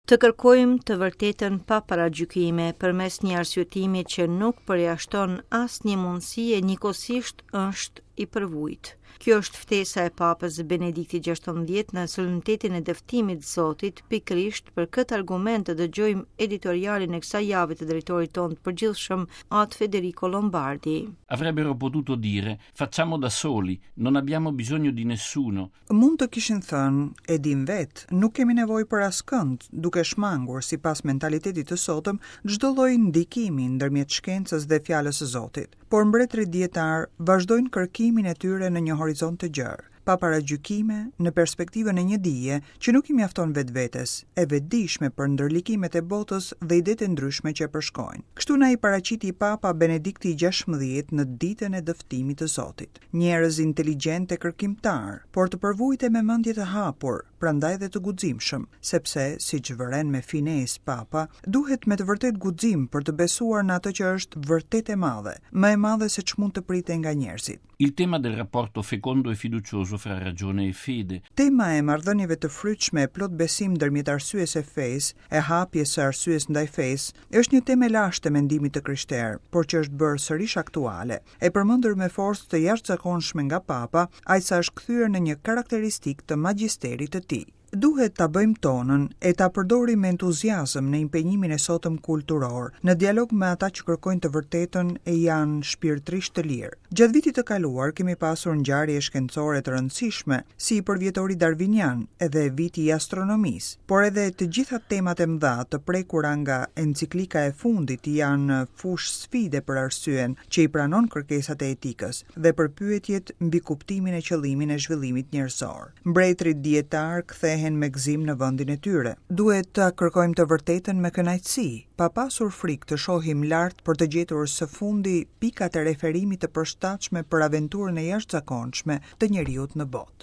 Të kërkojmë të vërtetën pa paragjykime, përmes një arsyetimi që nuk përjashton asnjë mundësi e njëkohësisht është i përvujtë. Kjo është ftesa e Papës Benedikti XVI në solemnitetin e dëftimit të Zotit, pikërisht për këtë argument të dëgjojmë editorialin e kësaj jave të drejtorit tonë të përgjithshëm, At Federico Lombardi. Avrebbero potuto dire, facciamo da soli, non abbiamo bisogno di nessuno. Mund të kishin thënë, e dimë vetë, nuk kemi nevojë për askënd, duke shmangur, sipas mentalitetit të sotëm, çdo lloj ndikimi ndërmjet shkencës dhe fjalës së Zotit. Por mbretërit dijetarë vazhdojnë kërkimin e tyre në një horizont të gjerë, pa paragjykime, në perspektivën e një dije që nuk i mjafton vetvetes, e vetëdijshme për ndërlikimet e botës dhe idetë e ndryshme që e përshkojnë. Kështu na i paraqiti Papa Benedikti i XVI në ditën e dëftimit të Zotit. Njerëz inteligjentë e kërkimtarë, por të përvujtë e me mendje të hapur, prandaj dhe të guximshëm, sepse, siç vëren me finesë Papa, duhet me të vërtetë guxim për të besuar në atë që është vërtet e madhe, më e madhe se ç'mund të pritej nga njerëzit. Il tema del rapporto fecondo e fiducioso fra ragione e fede. Tema e marrëdhënieve të frytshme e plot besim ndërmjet arsyes e fesë, e hapjes së arsyes ndaj fesë, është një temë e lashtë e mendimit të krishterë, por që është bërë sërish aktuale. E përmendur me forcë të jashtëzakonshme nga Papa, aq sa është kthyer në një karakteristikë të magjisterit të tij. Duhet ta bëjmë tonën e ta përdorim me entuziazëm në impenjimin e sotëm kulturor, në dialog me ata që kërkojnë të vërtetën e janë shpirtërisht të lirë. Gjatë vitit të kaluar kemi pasur ngjarje shkencore të rëndësishme, si përvjetori darvinian edhe viti i astronomisë, por edhe të gjitha temat e mëdha të prekura nga enciklika e fundit janë fushë sfide për arsyen që i pranon kërkesat e etikës dhe për pyetjet mbi kuptimin e qëllimin e zhvillimit njerëzor. Mbretërit dijetarë kthehen me gëzim në vendin e tyre. Duhet ta kërkojmë të vërtetën me kënaqësi, pa pasur frikë të shohim lart për të gjetur së fundi pikat e referimit të përshtatshme për aventurën e jashtëzakonshme të njeriut në botë.